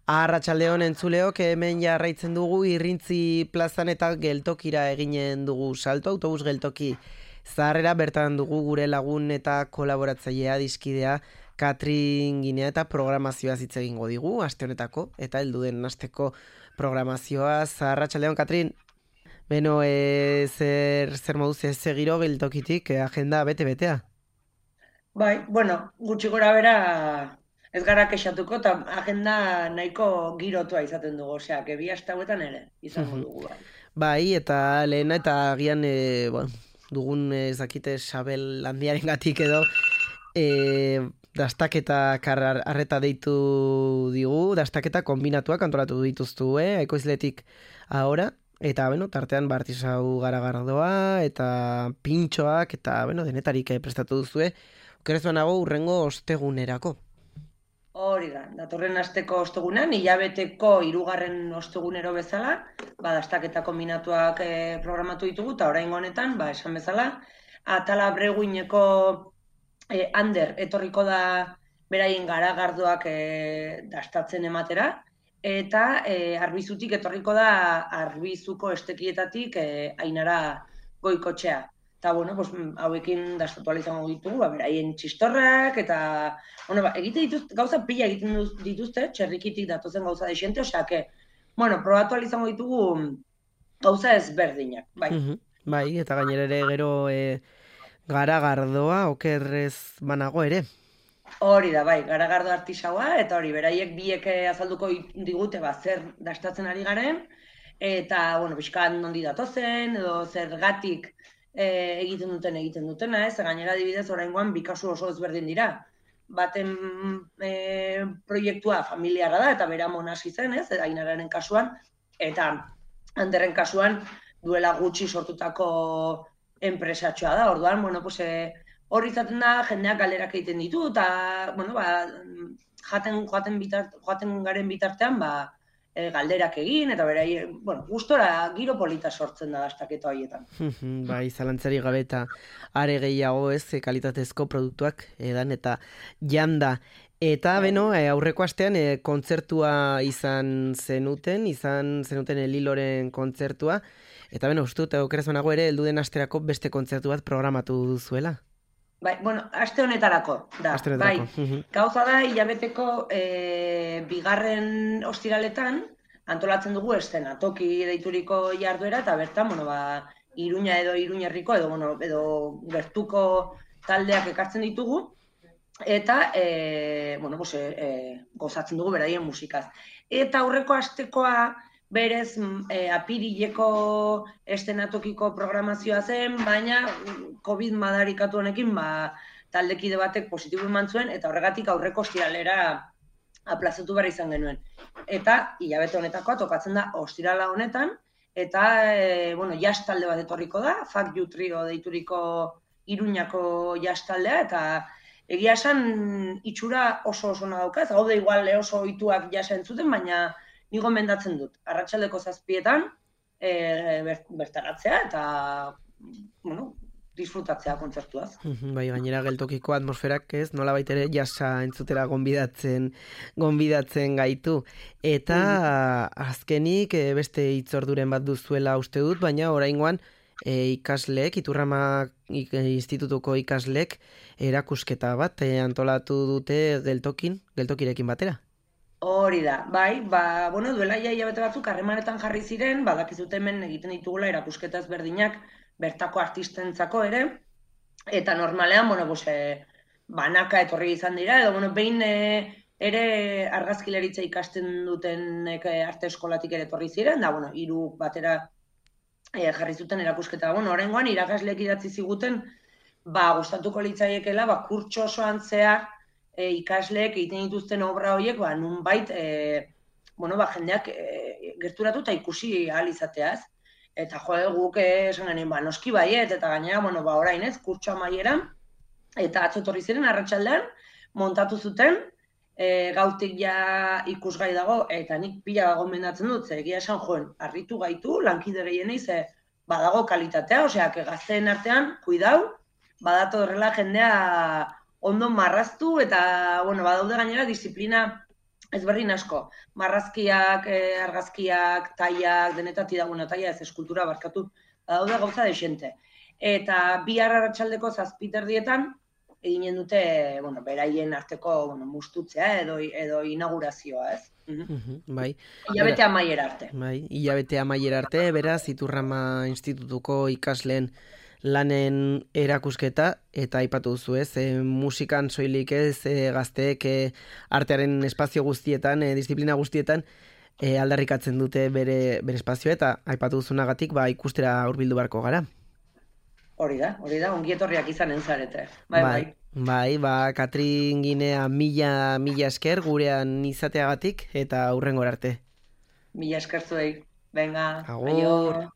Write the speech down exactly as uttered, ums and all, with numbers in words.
Arratsaldeon entzuleok, hemen jarraitzen dugu Irrintzi plazan eta geltokira eginen dugu salto, autobus geltoki zaharrera, bertan dugu gure lagun eta kolaboratzailea dizkidea Katrin Ginea eta programazioa hitz egingo digu, aste honetako, eta heldu den asteko programazioa. Arratsaldeon, Katrin. Beno, e, zer, zer moduz ez segiro geltokitik, e, agenda bete-betea? Bai, bueno, gutxi gora bera ez gara kexatuko, eta agenda nahiko girotua izaten dugu, osea, que bi aste hauetan ere izango dugu, bai. Bai, eta lehena eta agian e, bueno, dugun ez dakite Sabel handiaren gatik edo e, dastaketa kar- arreta deitu digu, dastaketa kombinatuak antolatu dituztu, eh? Ekoizletik ahora, eta bueno, tartean Bartisau Garagardoa eta pintxoak eta bueno, denetarik eh, prestatu duzue. Okerez banago urrengo ostegunerako. Hori da, datorren asteko ostegunean, hilabeteko hirugarren ostegunero bezala, ba, dastaketa kombinatuak eh, programatu ditugu, eta oraingo honetan, ba, esan bezala, atala breguineko eh, ander etorriko da beraien garagardoak eh, dastatzen ematera, eta eh, arbizutik etorriko da arbizuko estekietatik eh, ainara goikotxea. Eta, bueno, pues, hauekin dastatu ala izango ditugu, ba, beraien txistorrak, eta, bueno, ba, egite dituzte, gauza pila egiten dituzte, txerrikitik datozen gauza desente, osea, que, bueno, probatu ala izango ditugu gauza ezberdinak, bai. Mhm. Bai, eta gainera ere gero e, garagardoa okerrez banago ere. Hori da, bai, garagardo artisaua, eta hori, beraiek biek eh, azalduko digute, ba, zer dastatzen ari garen, eta, bueno, pixkan nondi datozen, edo zergatik eh, egiten duten egiten dutena, ez? Gainera adibidez, oraingoan bi kasu oso ezberdin dira. Baten eh, proiektua familiarra da, eta bera monasi zen, ez? Ainararen kasuan, eta Anderren kasuan duela gutxi sortutako enpresatxoa da. Orduan, bueno, pues, eh, hor izaten da, jendeak galderak egiten ditu, eta, bueno, ba, jaten, joaten, bitart, joaten garen bitartean, ba, e, galderak egin, eta berai, bueno, gustora giro polita sortzen da dastaketa horietan. Mhm. Bai, zalantzari gabe eta are gehiago ez e, kalitatezko produktuak edan eta janda. Eta beno, e, aurreko astean e, kontzertua izan zenuten, izan zenuten Liloren kontzertua, eta beno, uste dut, okeraz banago ere, heldu den asterako beste kontzertu bat programatu duzuela. Bai, bueno, aste honetarako da. Aste Bai, honetarako. Mhm. gauza da hilabeteko e, bigarren ostiraletan antolatzen dugu eszenatoki deituriko jarduera, eta bertan, bueno, ba, Iruña edo Iruñerriko edo, bueno, edo gertuko taldeak ekartzen ditugu, eta e, bueno, pues, e, gozatzen dugu beraien musikaz. Eta aurreko astekoa berez e, apirileko eszenatokiko programazioa zen, baina COVID madarikatu honekin, ba, taldekide batek positibo eman zuen, eta horregatik aurreko ostiralera aplazatu behar izan genuen. Eta hilabete honetakoa tokatzen da ostirala honetan, eta e, bueno, jazz talde bat etorriko da, Fuck You Trio deituriko Iruñako jazz taldea, eta egia esan itxura oso oso dauka, ez gaude igual oso ohituak jazza entzuten, baina ni gomendatzen dut. Arratsaldeko zazpietan e, bertaratzea eta bueno, disfrutatzea kontzertuaz. Mhm. Bai, gainera geltokiko atmosferak ez, nola baitere jasa entzutera gonbidatzen, gonbidatzen gaitu. Eta azkenik e, beste hitzorduren bat duzuela uste dut, baina oraingoan e, ikasleek, Iturrama ik, institutuko ikasleek erakusketa bat e, antolatu dute geltokin, geltokirekin batera. Hori da, bai, ba, bueno, duela ja hilabete batzuk harremanetan jarri ziren, badakizute hemen egiten ditugula erakusketa ezberdinak bertako artistentzako ere, eta normalean, bueno, pues, e, banaka etorri izan dira, edo, bueno, behin e, ere argazkilaritza ikasten duten e, arte eskolatik ere etorri ziren, da, bueno, hiru batera e, jarri zuten erakusketa. Bueno, oraingoan irakasleek idatzi ziguten, ba, gustatuko litzaiekela, ba, kurtso osoan zehar, e, ikasleek egiten dituzten obra horiek, ba, nunbait, e, bueno, ba, jendeak e, gerturatu eta ikusi ahal izateaz. Eta jo, guk esan genien, ba, noski baiet, eta gainera, bueno, ba, orain ez, kurtso amaieran, eta atzo etorri ziren, arratsaldean, montatu zuten, e, gautik ja ikusgai dago, eta nik pila gomendatzen dut, zer egia esan joen, harritu gaitu, lankide gehienei, ze badago kalitatea, osea, que gazteen artean, kuidau, badato horrela jendea ondo marraztu, eta, bueno, badaude gainera disiplina ezberdin asko. Marrazkiak, eh, argazkiak, taiak, denetati da, bueno, taia ez eskultura barkatu, daude gauza desente. Eta bihar arratsaldeko zazpiterdietan, eginen dute, bueno, beraien arteko, bueno, mustutzea edo, edo inaugurazioa, ez? Mhm, bai. Hilabete amaiera arte. Bai, hilabete amaiera arte, beraz, Iturrama Institutuko ikasleen lanen erakusketa, eta aipatu duzu ez, e, musikan soilik ez, e, gazteek e, artearen espazio guztietan, e, disiplina guztietan, e, aldarrikatzen dute bere, bere espazioa, eta aipatu duzunagatik, ba, ikustera hurbildu barko gara. Hori da, hori da, ongi etorriak izanen zarete. Bai, bai. Bai, ba, Katrin Ginea mila, mila esker gurean izateagatik, eta hurrengora arte. Mila esker zuei. Venga, Agur. aio.